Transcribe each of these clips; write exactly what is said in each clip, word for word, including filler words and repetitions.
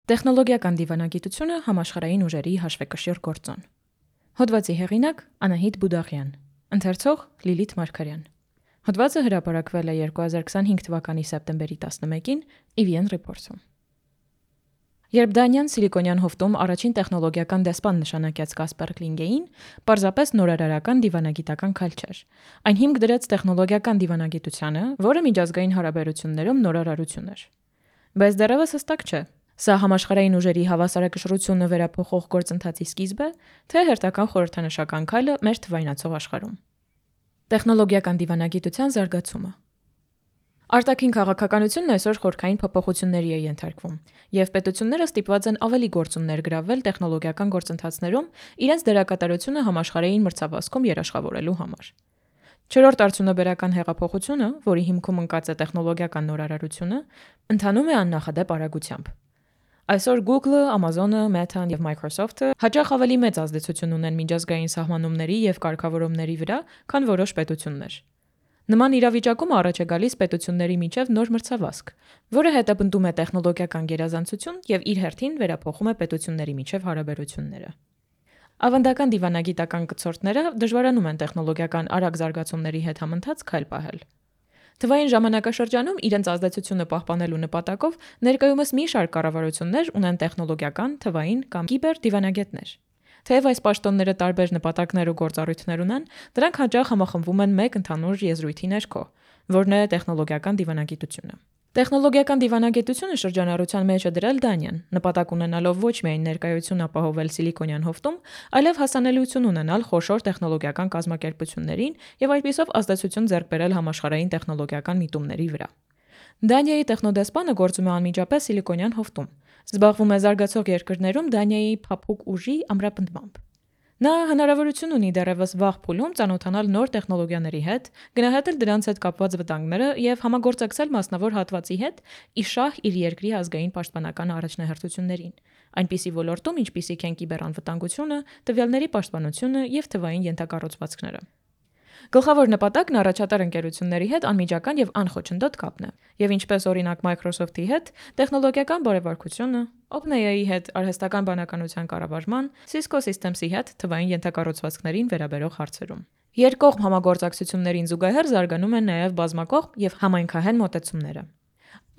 Տեխնոլոգիական դիվանագիտությունը համաշխարհային ուժերի հաշվեկշիռ գործոն։ Հոդվածի հեղինակ Անահիտ Բուդաղյան, ընթերցող Լիլիթ Մարգարյան։ Հոդվածը հրապարակվել է երկու հազար քսանհինգ թվականի սեպտեմբերի տասնմեկին ի վի են Reports-ում։ Երբ Դանիան Սիլիկոնյան հովտում առաջին տեխնոլոգիական դեսպան նշանակեց Կասպեր Կլինգեին, պարզապես նորարարական դիվանագիտական քայլ չէր։ Այն հիմք դրեց տեխնոլոգիական դիվանագիտությանը, որը միջազգային հարաբերություններում նորարարություն էր։ Բայց դեռևս հստակ չէ, սա համաշխարհային ուժերի հավասարակշռությունը վերափոխող գործընթացի սկիզբ է, թե հերթական խորհրդանշական քայլը մեր թվայնացող աշխարհում։ Տեխնոլոգիական դիվանագիտության զարգացումը։ Արտաքին քաղաքականությունն այսօր խորքային փոփոխությունների է ենթարկվում, եւ պետությունները ստիպված են ավելի գործուն ներգրավվել տեխնոլոգիական գործընթացներում իրենց դերակատարությունը համաշխարհային մրցավազքում երաշխավորելու համար։ Չորրորդ արդյունաբերական հեղափոխությունը, որի հիմքում ընկած է տեխնոլոգիական նորարարությունը, ընթանում է աննախադեպ արագությամբ։ Այսօր Google-ը, Amazon-ը, Meta-ն եւ Microsoft-ը հաճախ ավելի մեծ ազդեցություն ունեն միջազգային սահմանումների եւ կարգավորումների վրա, քան որոշ պետություններ։ Նման իրավիճակում առաջ է գալիս պետությունների միջև նոր մրցավազք, որը հետապնդում է տեխնոլոգիական գերազանցություն եւ իր հերթին վերափոխում է պետությունների միջև հարաբերությունները։ Ավանդական դիվանագիտական կցորդները դժվարանում են տեխնոլոգիական արագ զարգացումների հետ համընթաց քայլ պահել։ Թվային ժամանակաշրջանում իրենց ազդեցությունը պահպանելու նպատակով ներկայումս մի շարք կառավարություններ ունեն տեխնոլոգիական, թվային կամ կիբեր դիվանագետներ։ Թեև այս պաշտոնները տարբեր նպատակներ ու գործառույթներ ունեն, դրանք հաճախ համախմբվում են մեկ ընդհանուր եզրույթի ներքո, որն է տեխնոլոգիական դիվանագիտությունը։ Տեխնոլոգիական դիվանագիտությունը շրջանառության մեջ է դրել Դանիան, նպատակ ունենալով ոչ միայն ներկայություն ապահովել Սիլիկոնյան հովտում, այլև հասանելիություն ունենալ խոշոր տեխնոլոգիական կազմակերպություններին եւ այդպիսով ազդեցություն ձեռք բերել համաշխարհային տեխնոլոգիական միտումների վրա։ Դանիայի տեխնոդեսպանը գործում է անմիջապես Սիլիկոնյան հովտում, զբաղվում է զարգացող երկրներում Դանիայի փափուկ ուժի ամրապնդմամբ։ Նա հնարավորություն ունի դեռևս վաղ փուլում ծանոթանալ նոր տեխնոլոգիաների հետ, գնահատել դրանց հետ կապված վտանգները եւ համագործակցել մասնավոր հատվածի հետ ի շահ իր երկրի ազգային պաշտպանական առաջնահերթություններին, այնպիսի ոլորտում, ինչպիսիք են կիբերանվտանգությունը, տվյալների պաշտպանությունը եւ թվային ենթակառուցվածքները։ Գլխավոր նպատակն առաջատար ընկերությունների հետ անմիջական եւ անխոչնդոտ կապն է, եւ ինչպես օրինակ Microsoft-ի հետ տեխնոլոգիական բարեվարկությունը, OpenAI-ի հետ արհեստական բանականության կառավարման, Cisco Systems-ի հետ թվային ենթակառուցվածքներին վերաբերող հարցերում։ Երկկողմ համագործակցություններին զուգահեռ զարգանում են նաեւ բազմակողմ եւ համայնքահեն մոտեցումները։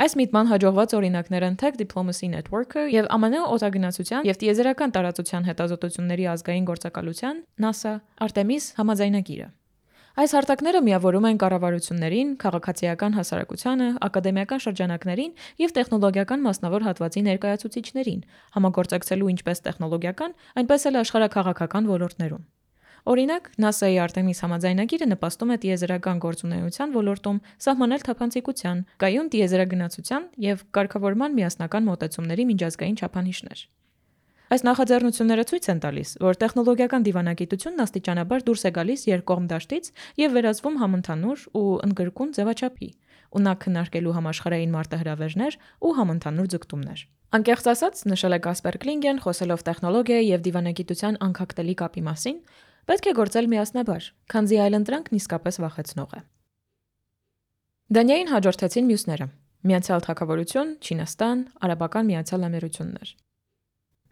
Այս միտման հաջողված օրինակներ են Tech Diplomacy Network-ը եւ Ամն օդագնացության եւ տիեզերական տարածության հետազոտությունների ազգային գործակալության NASA Artemis համաձայնագիրը։ Այս հարթակները միավորում են կառավարություններին, քաղաքացիական հասարակությանը, ակադեմիական շրջանակներին եւ տեխնոլոգիական մասնավոր հատվածի ներկայացուցիչներին, համագործակցելու ինչպես տեխնոլոգիական, այնպես էլ աշխարհաքաղաքական ոլորտներում։ Օրինակ, NASA-ի Artemis համաձայնագիրը նպաստում է տիեզերական գործունեության ոլորտում սահմանել թափանցիկության, կայուն տիեզերագնացության եւ կարգավորման միասնական մոտեցումների միջազգային չափանիշներ։ Այս նախաձեռնությունները ցույց են տալիս, որ տեխնոլոգիական դիվանագիտությունն աստիճանաբար դուրս է գալիս երկկողմ դաշտից եւ վերածվում համընդհանուր ու ընդգրկուն ձևաչափի, ունակ քննարկելու համաշխարհային մարտահրավերներ ու համընդհանուր ձգտումներ։ Անկեղծ ասած, նշել է Կասպեր Կլինգեն, խոսելով տեխնոլոգիայի եւ դիվանագիտության անկախտելի կապի մասին, պետք է գործել միասնաբար, քանզի այլընտրանքն իսկապես վախեցնող է։ Դանիային հաջորդեցին մյուսները՝ Միացյալ Թագավորություն, Չինաստան, Արաբական Միացյալ Ամերություններ։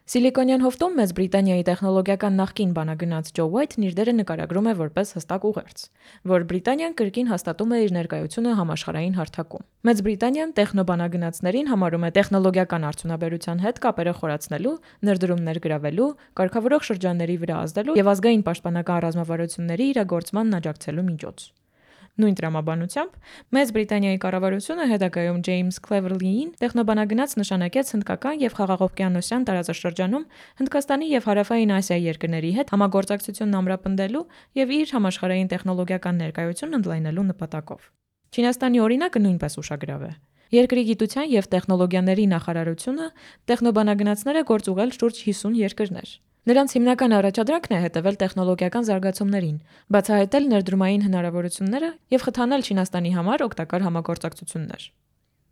Սիլիկոնյան հովտում Մեծ Բրիտանիայի տեխնոլոգիական նախկին բանագնաց Ջո Ուայթն իր դերը նկարագրում է որպես հստակ ուղերձ, որ Բրիտանիան կրկին հաստատում է իր ներկայությունը համաշխարհային հարթակում։ Մեծ Բրիտանիան տեխնոբանագնացներին համարում է տեխնոլոգիական արդյունաբերության հետ կապերը խորացնելու, ներդրումներ գրավելու, կարգավորող շրջանների վրա ազդելու եւ ազգային պաշտպանական ռազմավարությունների իրագործմանն աջակցելու միջոց։ Նույն տրամաբանությամբ Մեծ Բրիտանիայի կառավարությունը հետագայում Ջեյմս Քլևերլիին տեխնոբանագնաց նշանակեց հնդկական եւ խաղաղօվկիանոսյան տարածաշրջանում Հնդկաստանի եւ Հարավային Ասիայի երկրների հետ համագործակցությունն ամրապնդելու եւ իր համաշխարհային տեխնոլոգիական ներկայությունն ընդլայնելու նպատակով։ Չինաստանի օրինակը նույնպես ուշագրավ է։ Երկրի գիտության եւ տեխնոլոգիաների նախարարությունը տեխնոբանագնացները գործ ուղղել շուրջ հիսուն երկրներ։ Նրանց հիմնական առաջադրանքն է հետևել տեխնոլոգիական զարգացումներին, բացահայտել ներդրումային հնարավորությունները եւ խթանել Չինաստանի համար օգտակար համագործակցություններ։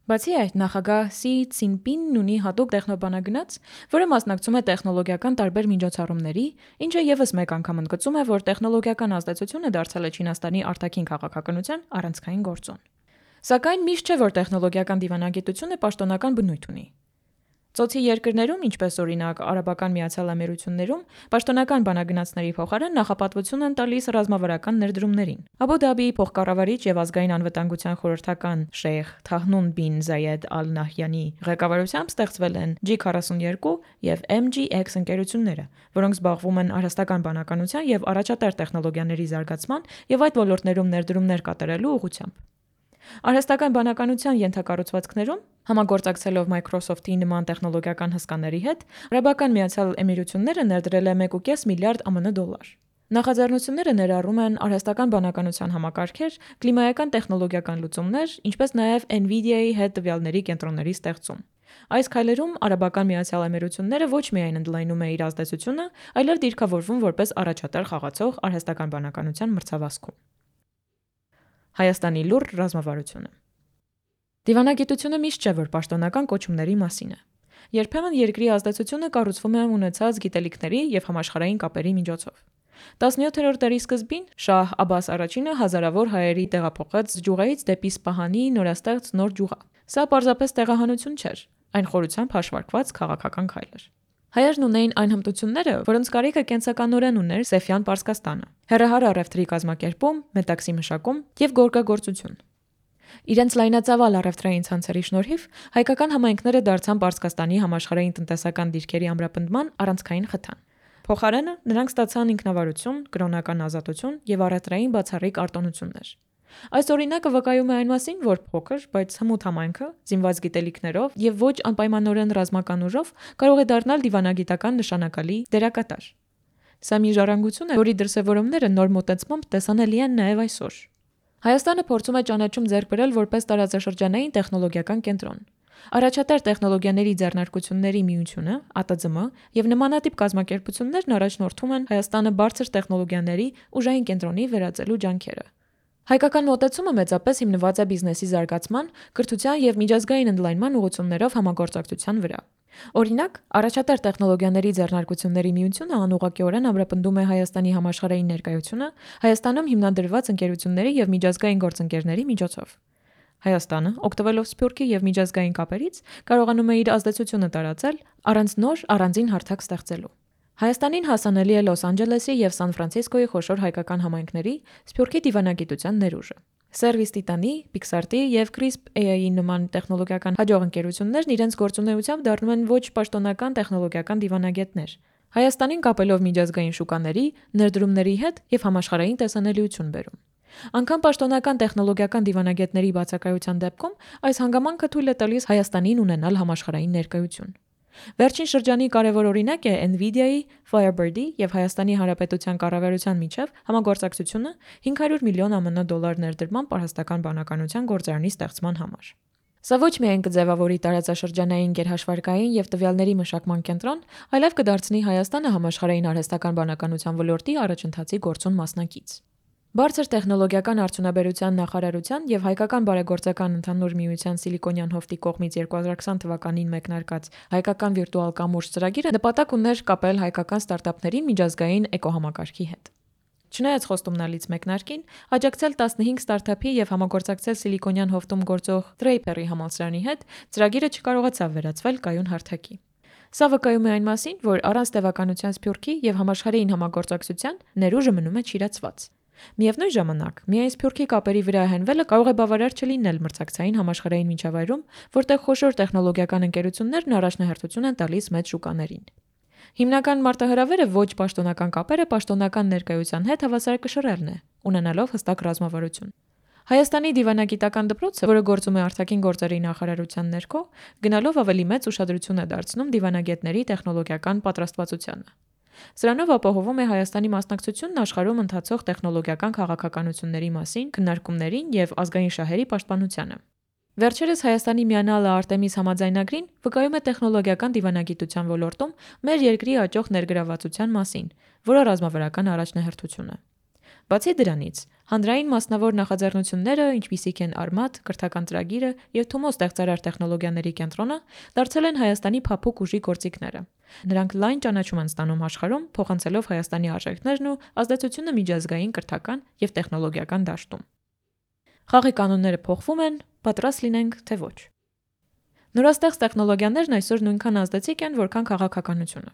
Բացի այդ, նախագահ Սի Ցինպինն ունի հատուկ տեխնոբանագնաց, որը մասնակցում է տեխնոլոգիական տարբեր միջոցառումների, ինչը եւս մեկ անգամ ընդգծում է, որ տեխնոլոգիական ազդեցությունը դարձել է Չինաստանի արտաքին քաղաքականության առանցքային գործոն։ Սակայն միշտ չէ, որ տեխնոլոգիական դիվանագիտությունը պաշտոնական բնույթ ունի։ Ծոցի երկրներում, ինչպես օրինակ Արաբական Միացյալ Ամերություններում, պաշտոնական բանագնացների փոխարեն նախապատվություն են տալիս ռազմավարական ներդրումներին։ Աբու Դաբիի փոխկառավարիչ եւ ազգային անվտանգության խորհրդական Շեյխ Թահնուն բին Զայեդ Ալ Նահյանի ղեկավարությամբ ստեղծվել են Ջի քառասունյոթ եւ Էմ Ջի Էքս ընկերությունները, որոնք զբաղվում են առհասարական բանականության եւ առաջատար տեխնոլոգիաների զարգացման եւ այդ ոլորտներում ներդրումներ կատարելու ուղղությամբ։ Արհեստական բանականության ենթակառուցվածքներում համագործակցելով Microsoft-ի նման տեխնոլոգիական հսկաների հետ, Արաբական Միացյալ Էմիրությունները ներդրել է մեկ կoma պենս միլիարդ ԱՄՆ դոլար։ Նախաձեռնությունները ներառում են արհեստական բանականության համակարգեր, կլիմայական տեխնոլոգիական լուծումներ, ինչպես նաև Nvidia-ի հետ տվյալների կենտրոնների ստեղծում։ Այս քայլերում Արաբական Միացյալ Էմիրությունները ոչ միայն ընդլայնում է իր ազդեցությունը, այլև դիրքավորվում որպես առաջատար խաղացող արհեստական բանականության մրցավազքում։ Հայաստանի լուռ ռազմավարությունը։ Դիվանագիտությունը միշտ չէ, որ պաշտոնական կոչումների մասին է։ Երբեմն երկրի ազդեցությունը կառուցվում է ունեցած գիտելիքների եւ համաշխարհային կապերի միջոցով։ տասնյոթերորդ դարի սկզբին Շահ Աբբաս առաջինը հազարավոր հայերի տեղափոխեց Ջուղայից դեպի Սպահանի նորաստեղծ Նոր Ջուղա։ Սա պարզապես տեղահանություն չէր, այն խորությամբ հաշվարկված քաղաքական քայլ էր։ Հայերն ունեին այն հմտությունները, որոնց կարիքը կենսականորեն ուներ Սեֆյան Պարսկաստանը՝ հեռահար առևտրի կազմակերպում, մետաքսի մշակում եւ գորգագործություն։ Իրենց լայնածավալ առևտրային ցանցերի շնորհիվ հայկական համայնքները դարձան Պարսկաստանի համաշխարհային տնտեսական դիրքերի ամրապնդման առանցքային խթան։ Փոխարենը նրանք ստացան ինքնավարություն, կրոնական ազատություն եւ առևտրային բացառիկ արտոնություններ։ Այս օրինակը վկայում է այն մասին, որ փոքր, բայց հմուտ համայնքը, զինված գիտելիքներով եւ ոչ անպայմանորեն ռազմական ուժով կարող է դառնալ դիվանագիտական նշանակալի դերակատար։ Սա մի ժառանգություն է, որի դրսևորումները նոր մոտեցմամբ տեսանելի են նաեւ այսօր։ Հայաստանը փորձում է ճանաչում ձեռք բերել որպես տարածաշրջանային տեխնոլոգիական կենտրոն։ Առաջատար տեխնոլոգիաների ձեռնարկությունների միությունը, Ա Տ Ձ Մ եւ նմանատիպ կազմակերպություններն առաջնորդում են Հայաստանը բարձր տեխնոլոգիաների ուժային կենտրոնի վերածելու ջանքերը։ Հայկական մոտեցումը մեծապես հիմնված է բիզնեսի զարգացման, կրթության եւ միջազգային ընդլայնման ուղղություններով համագործակցության վրա։ Օրինակ, առաջատար տեխնոլոգիաների ձեռնարկությունների միությունը անուղղակիորեն ամրապնդում է Հայաստանի համաշխարհային ներկայությունը Հայաստանում հիմնադրված ընկերությունների եւ միջազգային գործընկերների միջոցով։ Հայաստանը, օգտվելով Սփյուռքի եւ միջազգային կապերից, կարողանում է իր ազդեցությունը տարածել առանց նոր առանձին հարթակ ստեղծելու։ Հայաստանին հասանելի է Լոս Անջելեսի եւ Սան Ֆրանցիսկոյի խոշոր հայկական համայնքների Սփյուռքի դիվանագիտության ներուժը։ Service Titan-ի, Pixart-ի եւ Crisp A I-ի նման տեխնոլոգիական հաջող ընկերություններն իրենց գործունեությամբ դառնում են ոչ պաշտոնական տեխնոլոգիական դիվանագետներ, Հայաստանին կապելով միջազգային շուկաների, ներդրումների հետ եւ համաշխարհային տեսանելիություն բերում։ Անկամ պաշտոնական տեխնոլոգիական դիվանագետների բացակայության դեպքում այս հանգամանքը թույլ է տալիս Հայաստանին ունենալ համաշխարհային ներկայություն։ Վերջին շրջանի կարևոր օրինակ է Nvidia-ի, Firebird-ի եւ Հայաստանի Հանրապետության կառավարության միջև համագործակցությունը հինգ հարյուր միլիոն ԱՄՆ դոլար ներդրման պարհեստական բանականության գործարանի ստեղծման համար։ Սա ոչ միայն կձևավորի տարածաշրջանային գերհաշվարկային եւ տվյալների մշակման կենտրոն, այլև կդարձնի Հայաստանը համաշխարհային արհեստական բանականության ոլորտի առաջընթացի գործուն մասնակից։ Բարձր տեխնոլոգիական արդյունաբերության նախարարության եւ Հայկական բարեգործական ընդհանուր միության Սիլիկոնյան հովտի կողմից երկու հազար քսան թվականին մեկնարկած Հայկական վիրտուալ կամուրջ ծրագիրը նպատակ ուներ կապել հայկական ստարտափներին միջազգային էկոհամակարգի հետ։ Չնայած խոստումնալից մեկնարկին, աջակցել տասնհինգ ստարտափի եւ համագործակցել Սիլիկոնյան հովտում գործող Draper-ի համալսարանի հետ, ծրագիրը չկարողացավ վերածվել կայուն հարթակի։ Սա վկայում է այն մասին, որ առանց տևականության Սփյուռքի եւ համաշխարհային համագործակցության ներուժը մնում է չիրացված։ Միևնույն ժամանակ, միայն Սփյուռքի կապերի վրա հենվելը կարող է բավարար չլինել մրցակցային համաշխարհային միջավայրում, որտեղ խոշոր տեխնոլոգիական ընկերություններն առաջնահերթություն են տալիս մեծ շուկաներին։ Հիմնական մարտահրավերը ոչ պաշտոնական կապերը պաշտոնական ներկայության հետ հավասարակշռելն է, ունենալով հստակ ռազմավարություն։ Հայաստանի դիվանագիտական դպրոցը, որը գործում է արտաքին գործերի նախարարության ներքո, գնալով ավելի մեծ ուշադրություն է դարձնում դիվանագետների տեխնոլոգիական պատրաստվածությանը։ Սրանով ապահովում է Հայաստանի մասնակցությունն աշխարհում ընթացող տեխնոլոգիական քաղաքականությունների մասին քննարկումներին եւ ազգային շահերի պաշտպանությանը։ Վերջերս Հայաստանի միանալը Արտեմիս համաձայնագրին վկայում է տեխնոլոգիական դիվանագիտության ոլորտում մեր երկրի աճող ներգրավվածության մասին, որը ռազմավարական առաջնահերթություն է։ Բացի դրանից, հանրային մասնավոր նախաձեռնությունները, ինչպիսիք են Արմատ, կրթական ծրագիրը եւ Թումո ստեղծարար տեխնոլոգիաների կենտրոնը, դարձել են Հայաստանի փափուկ ուժի գործիքները։ Նրանք լայն ճանաչում են ստանում աշխարհում, փոխանցելով Հայաստանի արժեքներն ու ազդեցությունը միջազգային կրթական եւ տեխնոլոգիական դաշտում։ Խաղի կանոնները փոխվում են, պատրաստ լինենք, թե ոչ։ Նորաստեղծ տեխնոլոգիաներն այսօր նույնքան ազդեցիկ են, որքան քաղաքականությունը։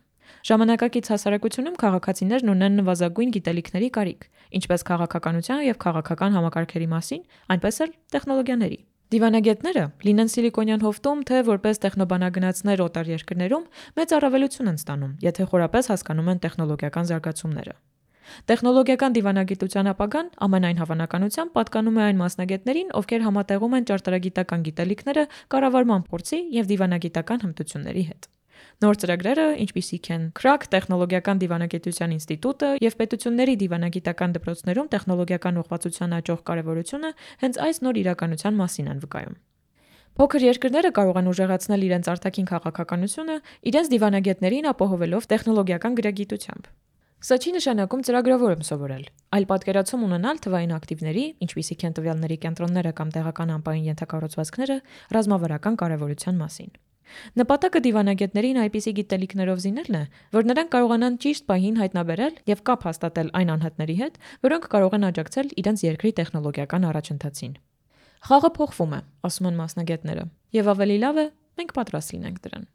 Ժամանակակից հասարակությունում քաղաքացիներն ունեն նվազագույն գիտելիքների կարիք, ինչպես քաղաքականության եւ քաղաքական համակարգերի մասին, այնպես էլ տեխնոլոգիաների։ Դիվանագետները, լինեն Սիլիկոնյան հովտում, թե որպես տեխնոբանագնացներ օտար երկրներում, մեծ առավելություն են ստանում, եթե խորապես հասկանում են տեխնոլոգիական զարգացումները։ Տեխնոլոգիական դիվանագիտության ապագան ամենայն հավանականությամբ պատկանում է այն մասնագետներին, ովքեր համատեղում են ճարտարագիտական գիտելիքները կառավարման փորձի եւ դիվանագիտական հմտությունների հետ։ Նոր ծրագրերը, ինչպիսիք են Crack տեխնոլոգիական դիվանագիտության ինստիտուտը եւ պետությունների դիվանագիտական դպրոցներում տեխնոլոգիական ուղղվածության աճող կարեւորությունը հենց այս նոր իրականության մասին են վկայում։ Փոքր երկրները կարող են ուժեղացնել իրենց արտաքին քաղաքականությունը իրենց դիվանագետներին ապահովելով տեխնոլոգիական գրագիտությամբ։ Սա չի նշանակում ծրագրավոր եմ սովորել, այլ պատկերացում ունենալ թվային ակտիվների, ինչպիսիք են տվյալների կենտրոնները կամ տեղական անպային ենթակառուցվածքները, ռազմավարական կարևորության մասին։ Նպատակը դիվանագետներին այնպիսի գիտելիքներով զինելն է, որ նրանք կարողանան ճիշտ պահին հայտնաբերել եւ կապ հաստատել այն անհատների հետ, որոնք կարող են աջակցել իրենց երկրի տեխնոլոգիական առաջընթացին։ Խաղը փոխվում է, ասում են մասնագետները, եւ ավելի լավ է մենք պատրաստ լինենք դրան։